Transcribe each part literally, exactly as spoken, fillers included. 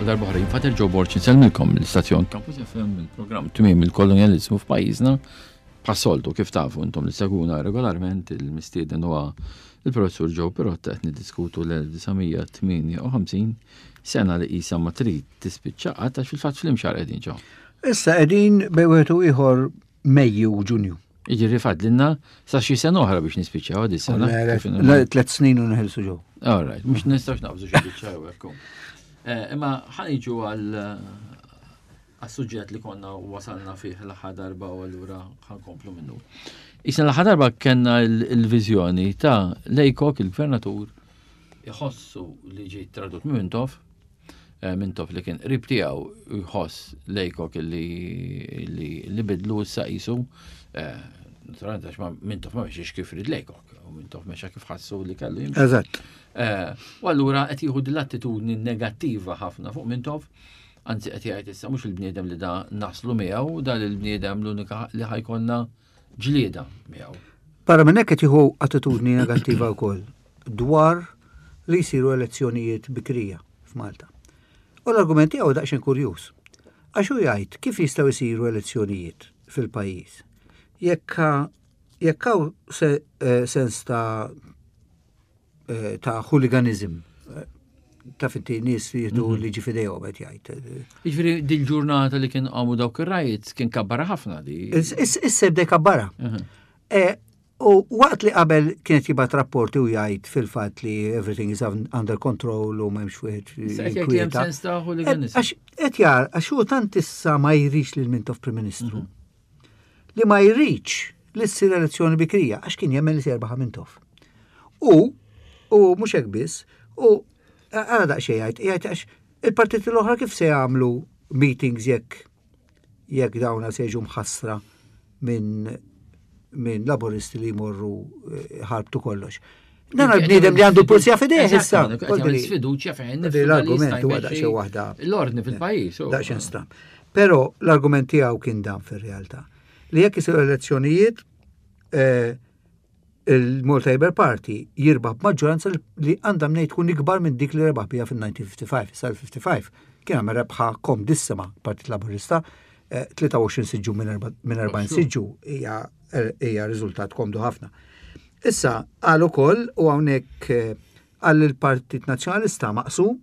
Għal darb'oħra jien Father Joe Borg insellmilkom l-istazzjon Campus F M, il-programm Tmiem il-Kolonjaliżmu f'pajjiżna. Bħas-soltu, kif tafu intom li ssegwuna regolarment, il-mistieden huwa il-professur Joe Pirotta. Qed niddiskutu l-elf disa' mija tmienja u ħamsin, sena li qisha ma trid tispiċċa qatt, għax fil-fatt fl-imxar qegħdin ġew. Issa qegħdin bejn wieħed u ieħor Mejju u Ġunju. Jiġifieri fadlilna sa xi sena oħra biex nispiċċaw di sena. Kif inhu? Le, tliet snin u neħilsu ġew. All right, mhux nistgħux naqbżu xi biċċa hekk. Eh, Imma ħa niġu għal għas-suġġett li konna wasalna fih l-aħħar darba u allura ħa nkomplu minnu. Issa l-aħħar darba kellna il-viżjoni ta' Lejkok, il-gvernatur, iħossu li ġie tradut minn Mintoff, eh, Mintoff li kien qrib tiegħu, jħoss Lejkok li li li bidlu issa qisu, eh, naturalment għax ma Mintoff ma mexiex kif ried Lejkok, u Mintoff mexa kif ħassu li kellu jimxi. Eżatt. Eh, U allura qed jieħu din l-attitudni negattiva ħafna fuq Mintoff, anzi qed jgħid issa mhux il-bniedem li da naslu miegħu, da il-bniedem l-unika li ħa jkollna ġlieda miegħu. Barra minn hekk qed jieħu attitudni negattiva wkoll dwar li jsiru elezzjonijiet bikrija f'Malta. U l-argument tiegħu daqsxejn kurjuż. Għax hu jgħid kif jistgħu jsiru elezzjonijiet fil-pajjiż jekk jekk hawn se, eh, sens ta' eh, ta' hooliganism, eh, ta' finti nies li jieħdu liġi f'idejhom, qed jgħid. Jiġifieri dil-ġurnata li kien qamu dawk ir-riots kien kabbara ħafna di. Issa bdej kabbara. Mhm. E, U waqt li qabel kienet jibgħat rapporti u jgħid fil-fatt li everything is under control u m'hemmx wieħed Issa qed jgħid li hemm jinkwieta. sens ta' hooliganism. Għax qed jar, għax hu tant issa ma jridx lil Mintoff Prim Ministru. Li ma jridx li ssir elezzjoni bikrija għax kien jemmen li se jerbaħ Mintoff. U u mhux hekk biss, u għara daqsxejn jgħid, jgħid għax il-partiti l-oħra kif se jagħmlu meetings jekk jekk dawna se jiġu mħassra minn minn laboristi li jmorru eh, ħarbtu kollox. Dan għal-bniedem li għandu l-pulizija f'idejh issa. Sfiduċja fejn L-argument huwa daqsxejn waħda. L-ordni fil-pajjiż. u- Daqsxejn stram. Però l-argument tiegħu kien dan fir-realtà. Li jekk isiru elezzjonijiet, eh, il-Malta Labour Party jirbaħ b'maġġoranza li għandha mnejn tkun ikbar minn dik li rebaħ biha fil-elf disa' mija ħamsa u ħamsin. Sal-ħamsa u ħamsin kien għamel rebħa komdissima Partit Laburista, eh, tlieta u għoxrin siġġu minn erba- minn erbgħin siġġu hija hija riżultat komdu ħafna. Issa qal ukoll u hawnhekk eh, qal il-Partit Nazzjonalista maqsum,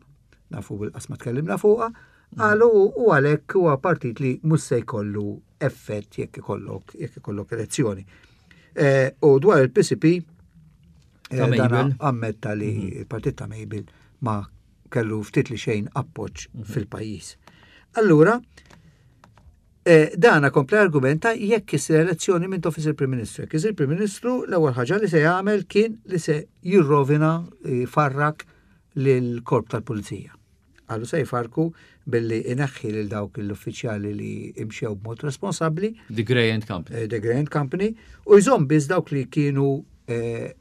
nafu bil-qasma tkellimna fuqha, qalu u għalhekk huwa partit li mhux se jkollu effett jekk ikollok jekk ikollok elezzjoni. Eh, U dwar il-P C P eh, Ta' dana Mabel. ammetta li il-partit ta' Mabel ma kellu ftit li xejn appoġġ fil-pajjiż. Allura, eh, dana kompli argumenta jekk isir elezzjoni Mintoff isir Prim Ministru. Jekk isir Prim Ministru, l-ewwel ħaġa li se jagħmel kien li se jirrovina, jfarrak lil korp tal-Pulizija. Għallu se jfarku billi ineħħi lil dawk l-uffiċjali li imxew b'mod responsabbli, The Grey and Company. eh, The Grey and Company, u jżomm biss dawk li kienu eh,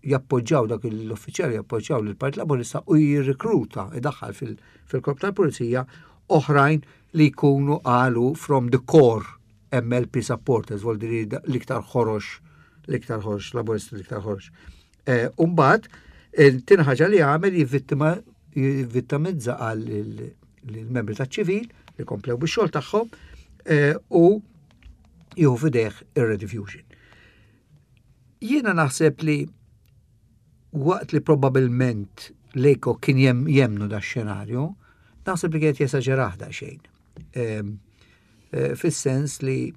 jappoġġaw, dak l-uffiċjali jappoġġaw lill-Partit Laburista, u jirrikruta, idaħħal fil- fil-korp tal-Pulizija oħrajn li jkunu qalu from the core M L P supporters, vuol dire l-iktar ħorox, l-iktar ħorox, Laburisti l-iktar ħorox. Eh, Umbagħad, it-tieni ħaġa li għamel jivvittima jivvittimizza għal il-membri ta' ċivil li komplew bix-xogħol tagħhom eh, u jieħu f'idejh ir-Rediffusion. Jiena naħseb li waqt li probabilment Lejkok kien jem, jemnu da xenarju, naħseb li kienet jesaġerah daqsxejn. Em, eh, Fis-sens li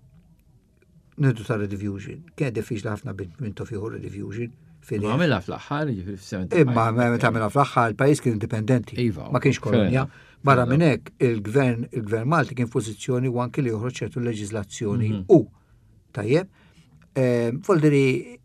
nidu ta' Rediffusion, kienet diffiċli ħafna Mintoff jieħu Rediffusion. Ma għamilha fl-aħħar, jiġifieri fis-sebgħa. Imma meta għamilha fl-aħħar, il-pajjiż kien indipendenti. Iva, Ma kienx kolonja. fair Barra minn hekk il-gvern il-gvern Malti kien f'pożizzjoni u anki li joħroġ ċertu leġiżlazzjoni Mhm. u tajjeb. Ehm, Voldiri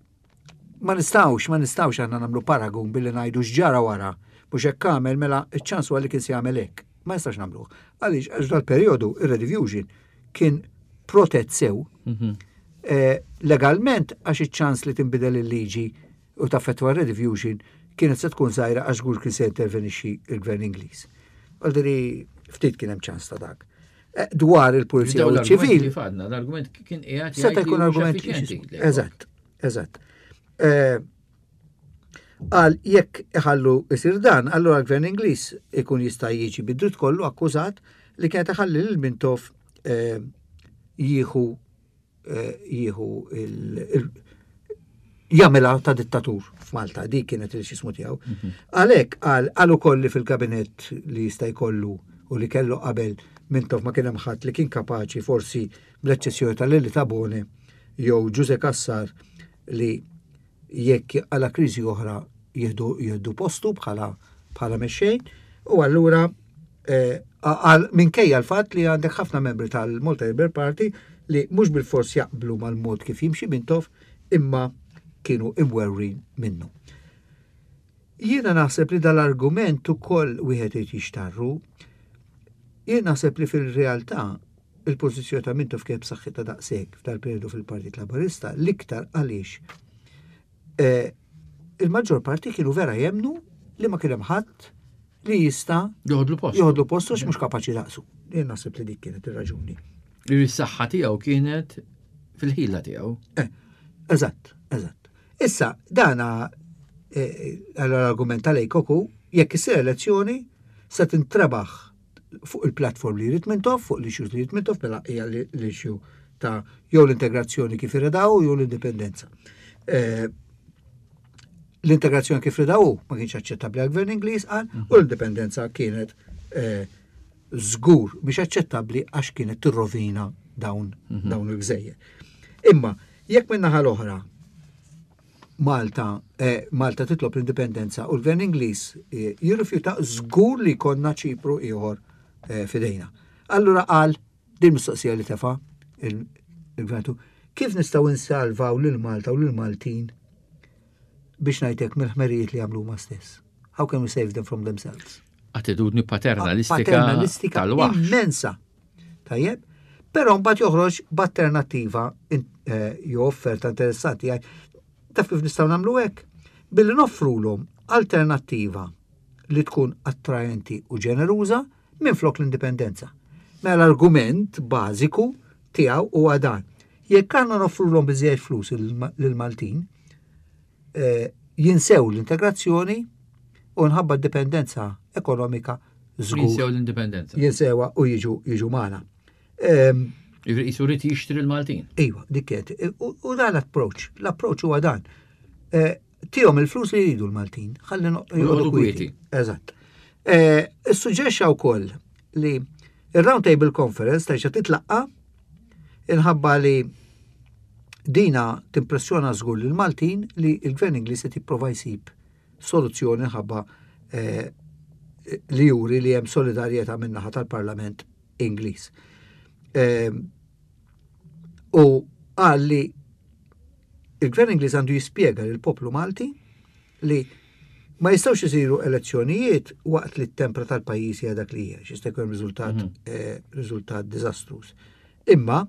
ma nistgħux, ma nistgħux aħna nagħmlu paragun billi ngħidu x'ġara wara. Mhux hekk għamel, mela iċ-ċans huwa li kien se jagħmel hekk. Ma nistax nagħmluh. Għaliex? Għax dal-perjodu ir-Rediffusion kien protett sew Mhm. eh, legalment, għax iċ-ċans li tinbidel il-liġi u taffettwa Rediffusion kienet se tkun żgħira għax żgur kien se intervenixxi il-gvern Ingliż. Għaldiri ftit kien hemm ċans ta' dak. Eh, Dwar il-pulizija u ċivil, Fadna, l-argument kien qiegħed seta' jgħid li jkun mhux argument. effiċjenti. Eżatt, eżatt. Eh, Qal jekk iħallu isir dan, allura l-gvern Ingliż ikun jista' jiġi bid-dritt kollu akkużat li kienet iħalli lil Mintoff eh, jieħu eh, jieħu il- jagħmilha ta' dittatur f'Malta, dik kienet il-xismu tiegħu. Għalhekk qal qal ukoll li fil-kabinett li jista' jkollu u li kellu qabel Mintoff ma kien hemm ħadd li kien kapaċi, forsi bl-eċċezzjoni ta' Lili Tabone jew Ġuże Cassar, li jekk għala kriżi oħra jieħdu jieħdu postu bħala bħala mexxej. U allura eh, għal minkejja l-fatt li għandek ħafna membri tal-Malta Labour Party li mhux bil-fors jaqblu mal-mod kif jimxi Mintoff, imma kienu imwerwrin minnu. Jiena naħseb li dal-argument ukoll wieħed irid jixtarru. Jien naħseb li fil-realtà il-pożizzjoni ta' Mintoff kienet b'saħħitha daqshekk f'dal-periodu fil-Partit Laburista, l-iktar għaliex eh, il-maġġor parti kienu vera jemnu li ma kien hemm ħadd li jista' Joħodlu postu. joħodlu postu għax mhux kapaċi daqsu. Jien naħseb li dik kienet ir-raġuni. Is-saħħa tiegħu kienet fil-ħila tiegħu. Eh, eżatt, eżatt. Issa, dana eh, l-argument tal-Laycock hu, jekk issir elezzjoni se tintrebaħ fuq il-platform li jrid Mintoff, fuq l-issues li jrid Mintoff, mela hija l-issue ta' jew l-integrazzjoni kif iridaw jew l-indipendenza. Eh, L-integrazzjoni kif ridaw ma kienx aċċettabbli għal-gvern Ingliż, qal, u l-indipendenza kienet eh, żgur mhix aċċettabbli għax kienet tirrovina dawn dawn il-gżejjer. Imma jekk min-naħa l-oħra Malta, eh, Malta titlob l-indipendenza u l-gvern Ingliż eh, jirrifjuta, żgur li konna Ċipru ieħor eh, fidejna. Allura qal din mistoqsija li tefa il-gvern, kif nistgħu nsalvaw lil Malta u lil Maltin, biex ngħidlek, mill-ħmerijiet li għamlu huma stess? How can we save them from themselves? Attitudni paternalistika Paternalistika tal-waħx. Immensa. Tajjeb? Però mbagħad joħroġ b'alternattiva eh, jew offerta interessanti. Jgħid, taf kif nistgħu nagħmlu hekk? Billi noffrulhom alternattiva li tkun attraenti u ġeneruża minn flok l-indipendenza. Mela l-argument bażiku tiegħu huwa dan. Jekk għandna noffrulhom biżejjed flus lill-Maltin, eh, jinsew l-integrazzjoni u nħabba d-dipendenza ekonomika żgur Jinsew l-indipendenza. Jinsewa u jiġu jiġu magħna. Ehm, Jisu rrid jixtri l-Maltin. Iva, dik kienet. U u dan l-approach, l-approach huwa dan. Eh, Tihom il-flus li jridu l-Maltin, ħalli no- joqogħdu kwieti. Eżatt. Eh, Issuġġerixxa wkoll li il-Round Table Conference terġa' titlaqqa inħabba li dina timpressjona żgur lil Maltin li il-Gvern Ingliż qed jipprova jsib soluzzjoni ħabba eh, li juri li hemm solidarjetà min-naħa tal-Parlament Ingliż. Eh, U qal li il-Gvern Ingliż għandu jispjega lil poplu Malti li ma jistgħux isiru elezzjonijiet waqt li t-tempra tal-pajjiż hija dak li hija, jista' jkun riżultat Mhm. eh, riżultat diżastruż. Imma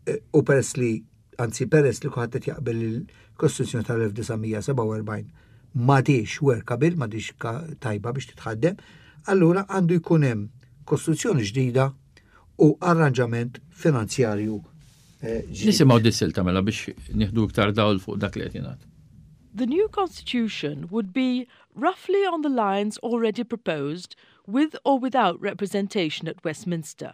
eh, u peress li, anzi peress li kulħadd qed jaqbel il-Kostituzzjoni tal-elf disa' mija sebgħa u erbgħin m'għadhiex workable, m'għadhiex ka- tajba biex titħaddem, allura għandu jkun hemm kostituzzjoni ġdida u arranġament finanzjarju eh, ġdid. Nisimgħu dis-silta mela biex nieħdu iktar dawl fuq dak li qed jingħad. The new constitution would be roughly on the lines already proposed, with or without representation at Westminster.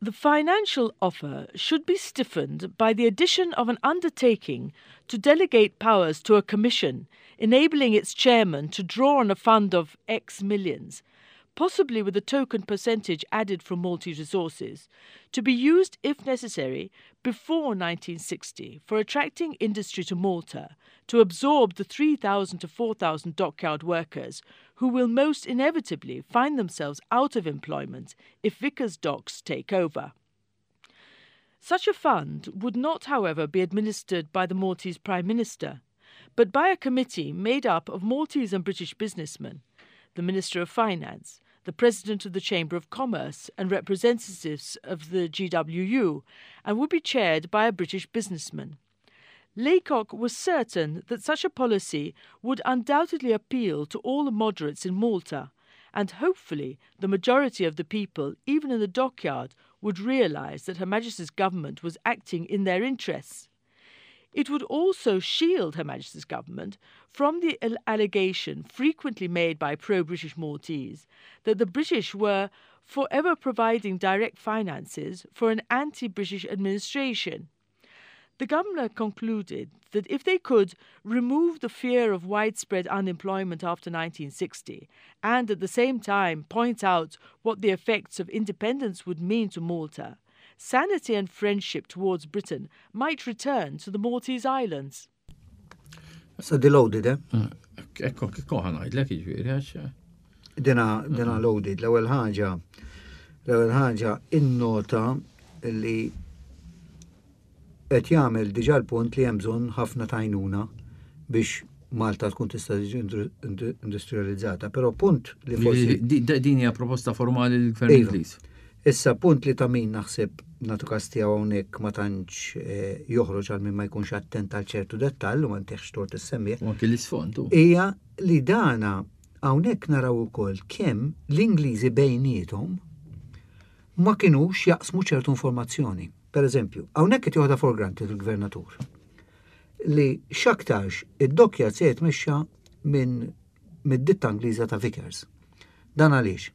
The financial offer should be stiffened by the addition of an undertaking to delegate powers to a commission, enabling its chairman to draw on a fund of X millions, possibly with a token percentage added from Maltese resources, to be used if necessary before nineteen sixty for attracting industry to Malta, to absorb the three thousand to four thousand dockyard workers who will most inevitably find themselves out of employment if Vickers Docks take over. Such a fund would not, however, be administered by the Maltese Prime Minister, but by a committee made up of Maltese and British businessmen, the Minister of Finance, the President of the Chamber of Commerce, and representatives of the G W U, and would be chaired by a British businessman. Laycock was certain that such a policy would undoubtedly appeal to all the moderates in Malta, and hopefully the majority of the people, even in the dockyard, would realise that Her Majesty's government was acting in their interests. It would also shield Her Majesty's government from the allegation frequently made by pro-British Maltese that the British were forever providing direct finances for an anti-British administration. The governor concluded that if they could remove the fear of widespread unemployment after nineteen sixty and at the same time point out what the effects of independence would mean to Malta, sanity and friendship towards Britain might return to the Maltese Islands. So di loaded, eh? Ekko, kiko ħa ngħidlek jiġifieri, għax. Dina, dina loaded. L-ewwel ħaġa, l-ewwel ħaġa innota li qed jagħmel diġà l-punt li hemm bżonn ħafna tajnuna biex Malta tkun tista' tiġi industrializzata, però punt li forsi Din hija proposta formali l-Gvern Iva. Ingliż. Issa punt li ta' min naħseb natu kas tiegħu hawnhekk ma tantx eh, joħroġ għal min ma jkunx attent għal ċertu dettall u ma ntihx tort issemmih. U anke l-isfond. u. Hija li dana hawnhekk naraw ukoll kemm l-Ingliżi bejniethom ma kinux jaqsmu ċertu informazzjoni. Per eżempju, hawnhekk qed joħodha for granted il-gvernatur li x'aktarx id-dockyard se jitmexxa minn mid-ditta Ingliża ta' Vickers. Dan għaliex?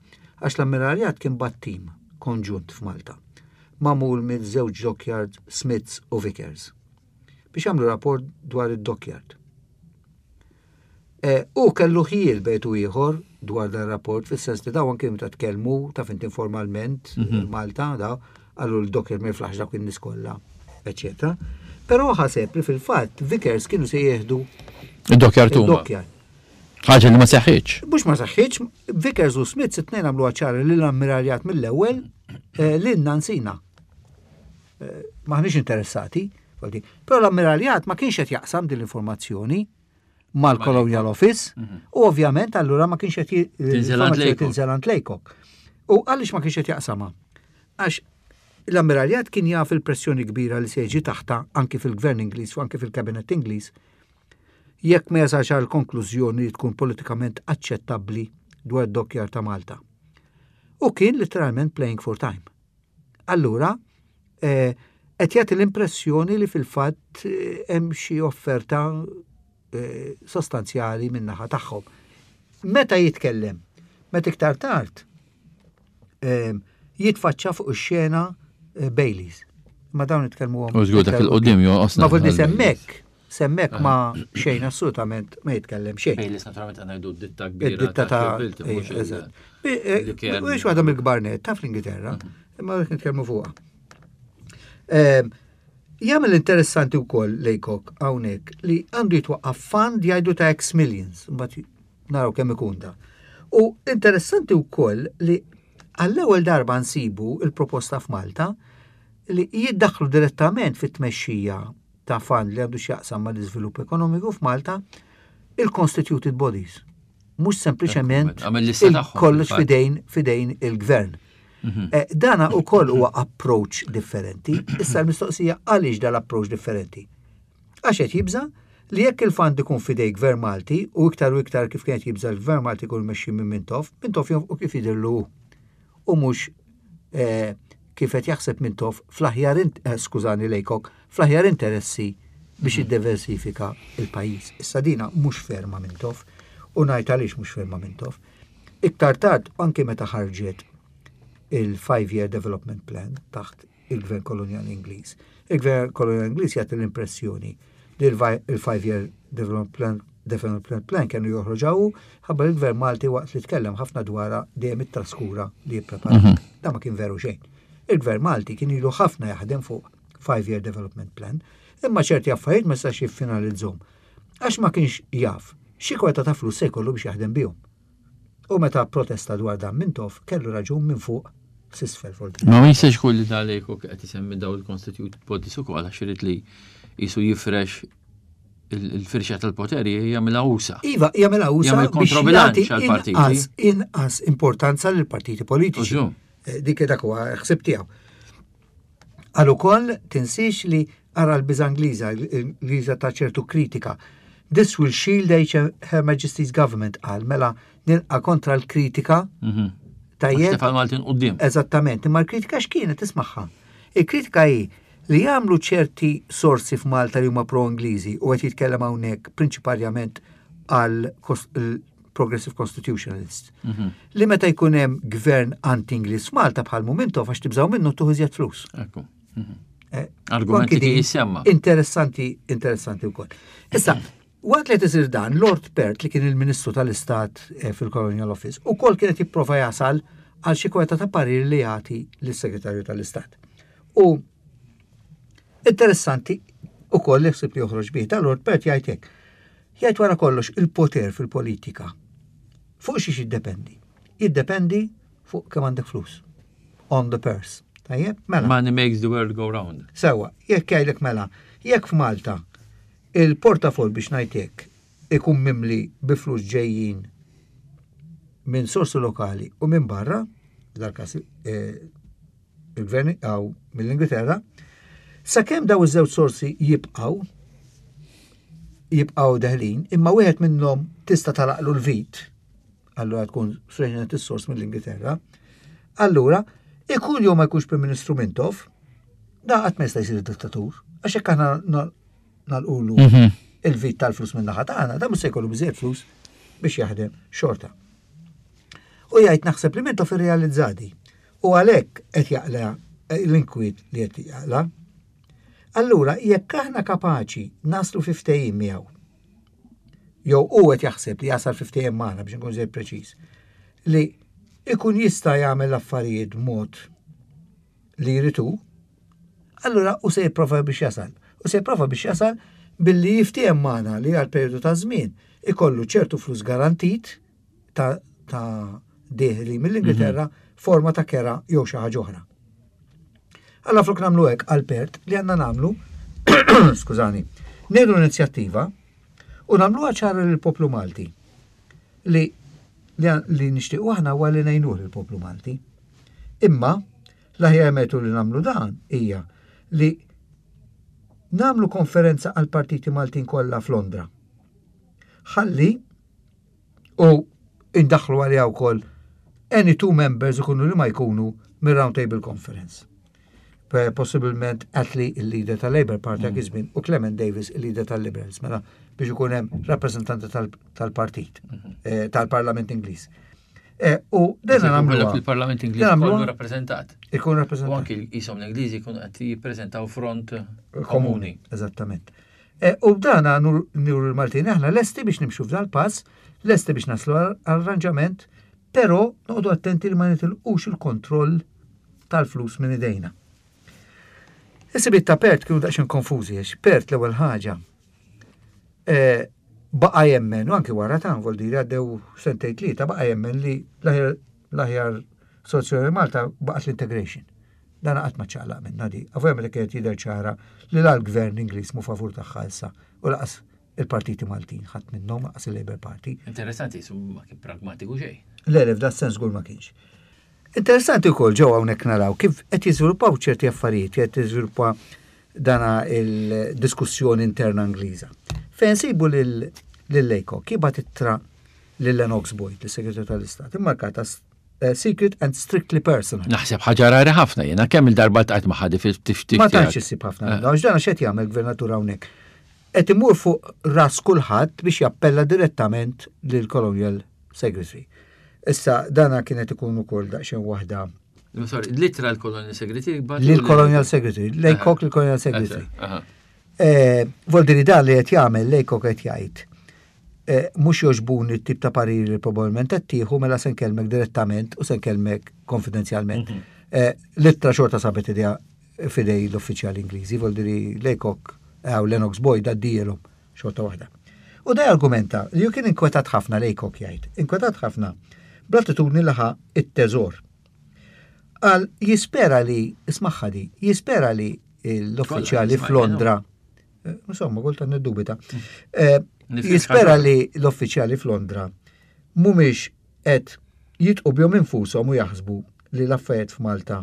Għax l-ammiraljat kien bagħat tim konġunt f'Malta, magħmul minn żewġ dockyard Smiths u Vickers, biex jagħmlu rapport dwar id-dockyard. E, u kellu ħjiel bejn u ieħor dwar dan rapport, fis-sens li dawn kienu ta' tkellmu ta' fint informalment Mhm. Malta, da għallu l-dockyard ma jiflaħx dak in-nies kollha, eċetera. Però ħaseb li fil-fatt Vickers kienu se jieħdu Id-dockyard huma. id-dockyard. Ħaġa li ma seħħitx. Mhux ma seħħitx, Vickers u Smiths it-tnejn għamlu ċara li l-ammiraljat mill-ewwel eh, lilna nsina. Eh, Maħniex interessati, vuol però l-ammiraljat ma kienx qed jaqsam din l-informazzjoni mal-Colonial Office u ovvjament allura ma kienx qed j- Tinżel għand l-informazzjoni Laycock. tinżel għand Laycock. U għaliex ma kienx qed jaqsamha? Għax l-ammiraljat kien jaf il-pressjoni kbira li se jiġi taħta anki fil-gvern Ingliż u anki fil-kabinet Ingliż jekk ma jasalx għal konklużjoni li tkun politikament aċċettabbli dwar id-dockyard ta' Malta. U kien literalment playing for time. Allura, eh, qed jagħti l-impressjoni li fil-fatt eh, hemm xi offerta eh, sostanzjali min-naħa tagħhom. Meta jitkellem? Meta iktar tard eh, jitfaċċa fuq ix-xena eh, Baileys. Ma dawn nitkellmu U żgur dak il-qudiem jonqosna. Ma vuol semmek, semmek ma xejn assolutament ma jitkellem xejn. Baileys naturalment għandna jgħidu ditta kbira. Id-ditta ta' Bilti, mhux eh, il- eżatt. Eh, li kien- Mhux waħda mill-kbar net ta' fl-Ingilterra, imma rrid nitkellmu fuqha. Ehm, Jagħmel interessanti wkoll Laycock hawnhekk li għandu jitwaqqaf fund jgħidu ta' X millions, mbagħad naraw kemm ikun da. U interessanti wkoll li għall-ewwel darba nsibu il-proposta f'Malta li jiddaħħlu direttament fit-tmexxija ta' fund li għandu x'jaqsam mal-iżvilupp ekonomiku f'Malta il-constituted bodies. Mhux sempliċement Għamel lista tagħhom, kollox fil-fatt. fidejn fidejn il-gvern. Mhm. Eh, Dana u koll huwa approach differenti. Issa l-mistoqsija għaliex dal-approach differenti? Għax qed jibża li jekk il-fund ikun fidej gvern Malti u iktar u iktar kif kienet jibża l-gvern Malti ikun mexxi minn Mintoff, Mintoff jonfqu kif jidhirlu hu. U mhux eh, kif qed jaħseb Mintoff fl-aħjar int- eh, skużani Laycock, fl-aħjar interessi biex jiddiversifika il-pajjiż. Issa dina mhux ferma Mintoff u ngħid għaliex mhux ferma Mintoff. Iktar tard anke meta ħarġet il-five-year development plan taħt il-gvern koloniali Ingliż. Il-gvern koloniali Ingliż jagħti l-impressjoni li il-five-year development plan development plan kienu joħroġaw ħabba l-gvern Malti waqt li tkellem ħafna dwarha dejjem it-traskura li jipprepara. Mhm. Da ma kien veru xejn. Il-gvern Malti kien ilu ħafna jaħdem fuq five-year development plan, imma ċerti affarijiet ma setax jiffinalizzhom. Għax ma kienx jaf xi kwota ta' flus se jkollu biex jaħdem bihom. U meta protesta dwar dan Mintoff kellu raġun minn fuq s'isfel fuq. Ma ma jistax ikun li da Laycock qed isemmi daw il-constituted bodies ukoll għax irid li jisu jifrex il- il-firxa tal-poteri jagħmilha usa. Iva, jagħmilha usa Jagħmel biex kontrobilanċ jagħti għall-partiti. inqas inqas importanza lill partiti politiċi. Użu. Eh, Dik dak huwa ħsib tiegħu. Għal ukoll tinsiex li ara l-biża Ingliża, l-Ingliża ta' ċertu kritika. This will shield H- Her Majesty's Government qal mela nilqa kontra l-kritika Mhm. tajjeb Stefan Maltin quddiem. Eżattament, imma l-kritika x'kienet tismagħha. Il-kritika hi Li jagħmlu ċerti sorsi f'Malta li huma pro-Ingliżi, u qed jitkellem hawnhekk prinċipalment għal Progressive Constitutionalists. Mhm. Li meta jkun hemm gvern anti-Ingliż f'Malta bħal Mintoff, għax tibżgħu minnu, tuħu iżjed flus. Ekku. Mhm. Eh, Argumenti anki li din jisemma. Interessanti, interessanti wkoll. Issa, waqt li tisir dan, Lord Perth, li kien il-Ministru tal-Istat eh, fil-Colonial Office, ukoll kienet jipprova jasal għal xi kweta ta' parir li jagħti lis-Segretarju tal-Istat. U interessanti ukoll li ħsib li joħroġ bih ta' Lord Perth jgħid hekk. Jgħid, wara kollox, il-poter fil-politika fuq xiex jiddependi? Jiddependi fuq kemm għandek flus. On the purse. Tajjeb? Mela. Money makes the world go round. Sewa, jekk jgħidlek mela, jekk f'Malta il-portafol, biex ngħidlek, ikun mimli bi flus ġejjin minn sorsi lokali u minn barra, dal-kas eh, il-gvern għaw mill-Ingilterra, sakemm daw iż-żewġ sorsi jibqgħu jibqgħu deħlin, imma wieħed minnhom tista' tagħlaqlu l-vit, allura tkun sreġnet is-sors mill-Ingilterra, allura ikun jew ma jkunx Prim Ministru Mintoff, da qatt ma jista' jsir dittatur, għax hekk aħna nagħlqulu Mhm. il-vit tal-flus minn naħa tagħna, da mhux se jkollu biżejjed flus biex jaħdem xorta. U jgħid, naħseb li Mintoff irrealizzadi. U għalhekk qed jaqla l-inkwiet li qed jaqla. Allura, jekk aħna kapaċi naslu fi ftehim miegħu, jew u qed jaħseb li jasal fi ftehim magħna, biex nkun żejt preċiż, li ikun jista' jagħmel l-affarijiet mod li jritu, allura u se jipprova biex jasal. U se jipprova biex jasal billi jiftiehem magħna li għal periodu ta' żmien ikollu ċertu flus garantit ta', ta' deħli mill-Ingilterra, forma ta' kera jew xi ħaġa oħra. Alla flok nagħmlu hekk, għal Perth, li għandna nagħmlu, skużani, nieħdu l-inizjattiva u nagħmluha ċara lill-poplu Malti li li, li nixtiequ aħna huwa li ngħinuh lill-poplu Malti. Imma l-aħjar metodu li nagħmlu dan hija li nagħmlu konferenza għal partiti Maltin kollha f'Londra. Ħalli u indaħlu għalija wkoll any two members, ikunu li ma jkunu, mir-Round Table Conference. Pe- Possibilment Attlee, il-leader tal-Labour Party dak iż-żmien, u Clement Davis, il-leader tal-Liberals, mela biex ikun hemm rappreżentanti tal- tal-partit, eh, tal-Parlament Ingliż. Eh, U dena nagħmluha. Fil-Parlament Ingliż Dena nagħmluha- kollu rappreżentat. Ikun U rappreżentat. anki jisom l-Ingliżi jkunu qed jippreżentaw front komuni. Eżattament. E, U b'dana nur nuru l-Maltin aħna lesti biex nimxu f'dal pass, lesti biex naslu għal arranġament, però noqogħdu attenti li ma nitilqux il-kontroll tal-flus minn idejna. Is-sibit ta' Perth kienu daqsxejn konfużi, għax Perth l-ewwel ħaġa e, baqa' jemmen, u anki wara ta' vuol dire għaddew sentejn tlieta, baqa' jemmen li l-aħjar l-aħjar soluzzjoni Malta baqgħet l-integration. Dan qatt ma ċaqlaq minna di. Għafu li kienet jidher ċara li la l-gvern Ingliż mu favur tagħha issa u lanqas il-partiti Maltin, ħadd minnhom, lanqas il-Labour Party. Interessanti, jisum ma kien pragmatiku xejn. Le, le, f'da sens żgur ma kienx. Interessanti wkoll ġew hawnhekk naraw kif qed jiżviluppaw ċerti affarijiet, qed jiżviluppa dana il-diskussjoni interna Ingliża. Fejn sibu lil lil Laycock jibgħat ittra lil Lennox Boyd, l-Segretarju tal-Istat, immarkata eh, secret and strictly personal. Naħseb ħaġa rari ħafna jiena kemm il-darba tqajt ma' ħadi fil-tiftik. Ma tantx issib ħafna minnha, għax dana x'qed jagħmel gvernatur hawnhekk? Qed imur fuq ras kulħadd biex jappella direttament lil Colonial Secretary. Issa dana kienet ikun ukoll daqsxejn waħda Sorry, l-ittra l-Colonial Secretary. lil Colonial Secretary, Laycock lil Colonial Secretary. Aha. Eh, Vuol dan li qed jagħmel Laycock, qed jgħid, eh, mhux jogħġbuni t-tip ta' pariri li probabbilment qed tieħu, mela se nkellmek direttament u se nkellmek konfidenzjalment. Eh, L-ittra xorta sabet idea fidej l-uffiċjali Ingliżi, vuol dire Laycock għaw Lennox Boyd għaddielhom xorta waħda. U da argumenta li ju kien inkwetat ħafna, Laycock jgħid, inkwetat ħafna bl-attitudni li ħa it-teżor. Għal jispera li, ismaħħa di, jispera li l-uffiċjali Kollha, f'Londra, eh, insomma, kultant niddubita, eh, Nifhem jispera ħaġa. li l-uffiċjali f'Londra mhumiex qed jitqu bihom infushom u jaħsbu li l-affarijiet f'Malta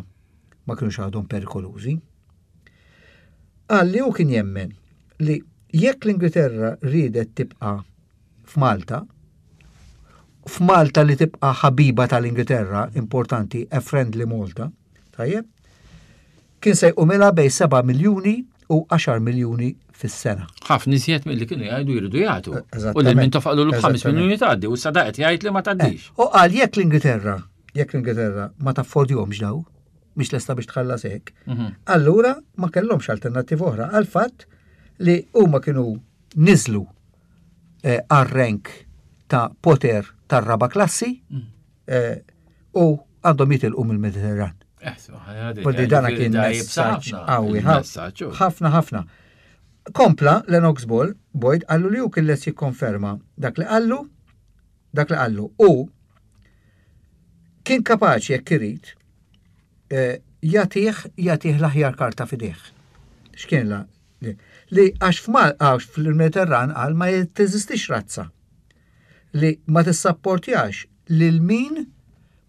ma kienux għadhom perikolużi. Qal li hu kien jemmen li jekk l-Ingilterra riedet tibqa' f'Malta, f'Malta li tibqa' ħabiba tal-Ingilterra, importanti, a friendly Malta, tajjeb, Kien se jqumilha bejn seba' miljuni u għaxar miljuni fis-sena. Ħafna iżjed milli kienu jgħidu jridu jagħtu. Eżattament. U lil Mintoff qalu b'ħames Eżattament. miljuni tgħaddi u issa qed jgħid li ma tgħaddix. U qal jekk l-Ingilterra, jekk l-Ingilterra ma taffordjomx daw, mhix lesta biex tħallas hekk, Mhm. allura ma kellhomx alternattiva oħra għal fatt li huma kienu niżlu eh, għar-rank ta' poter tar-raba klassi eh, u għandhom jitilqu mill-Mediterran. Eh, Poldi dana kien messaġġ qawwi ħafna ħafna. Kompla Lennox Ball, Boyd, qallu li hu kien lest jikkonferma dak li qallu, dak li qallu u kien kapaċi jekk irid eh, jagħtih jagħtih l-aħjar karta f'idejh. X'kien la? Li, li għax f'Mal għax fil-Mediterran qal ma teżistix razza li ma tissapportjax lil min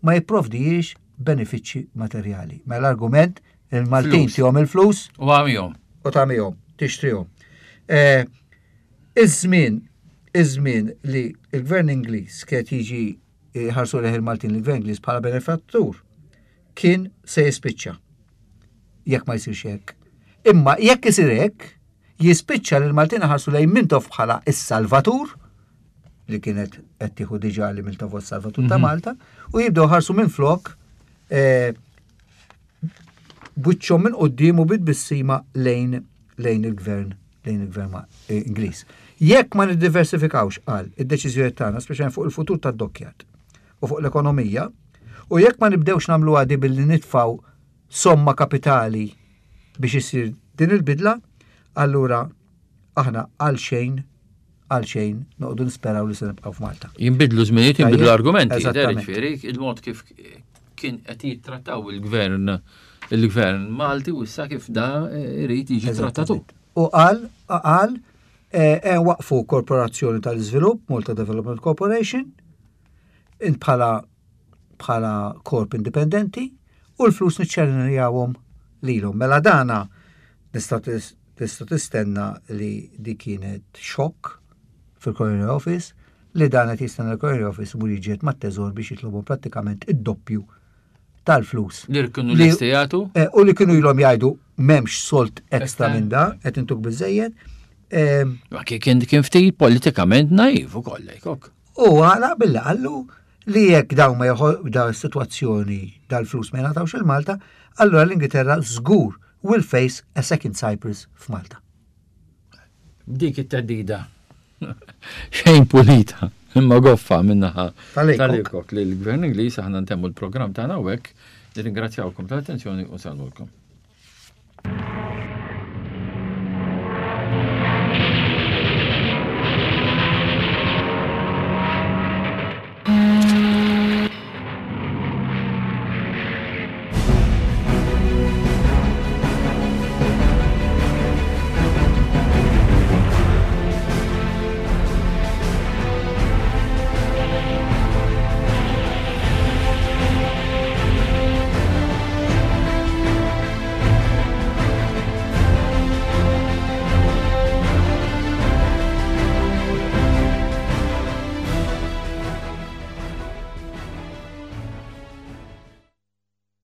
ma jipprovdijiex benefiċċji materjali. Mela l-argument il-Maltin Flus. tihom il-flus U għamihom. u tagħmihom, tixtrihom. Eh, Iż-żmien, iż-żmien li il-Gvern Ingliż kien jiġi ħarsu lejh il-Maltin il-Gvern Ingliż bħala benefattur kien se jispiċċa. Jekk ma jsirx hekk. Imma jekk isir hekk, jispiċċa li l-Maltin ħarsu lejn Mintoff bħala is-Salvatur li kienet qed tieħu diġà li Mintoff huwa s-Salvatur ta' Malta u jibdew ħarsu minn flok eh, b'wiċċhom minn quddiem u bit-tbissima lejn lejn il-gvern lejn il-gvern ma- eh, Ingliż. Jekk ma niddiversifikawx qal id-deċiżjoni tagħna speċjalment fuq il-futur tad-dockyard u fuq l-ekonomija, u jekk ma nibdewx nagħmlu għadi billi nitfaw somma kapitali biex isir din il-bidla, allura aħna għal xejn għal xejn noqogħdu nisperaw li se nibqgħu f'Malta. Jinbidlu żminijiet, jinbidlu Tajjeb, argumenti. eżattament. Ġifieri, il-mod kif kien qed jittrattaw il-gvern il-gvern Malti u issa kif da irid jiġi trattatu. U qal, qal, eh, eh, waqfu korporazzjoni tal-iżvilupp, Malta Development Corporation, int bħala bħala korp indipendenti u l-flus niċċellinjawhom lilhom. Mela dana tista' tis- tista' tistenna li di kienet xokk fil-Colonial Office li dan qed jistenna l-Colonial Office mur jiġiet mat-teżor biex jitlobu prattikament id-doppju tal-flus. Li kienu Li- lesti jagħtu. Eh, U li kienu ilhom jgħidu m'hemmx sold ekstra Ekstra. minn da, qed intuk biżejjed. Eh, Ma kien kien kien ftit politikament naiv ukoll ok. U għala billi qallu li jekk daw ma jħol daw is-sitwazzjoni dal-flus ma jingħatawx il-Malta, allura l-Ingilterra żgur will face a second Cyprus f'Malta. Dik it-teddida. Xejn pulita, imma goffa minnaħa Tal-Laycock. tal-Laycock li l-Gvern Ingliż aħna ntemmu l-programm tagħna hawnhekk. Nirringrazzjawkom tal-attenzjoni u nsellmulkom.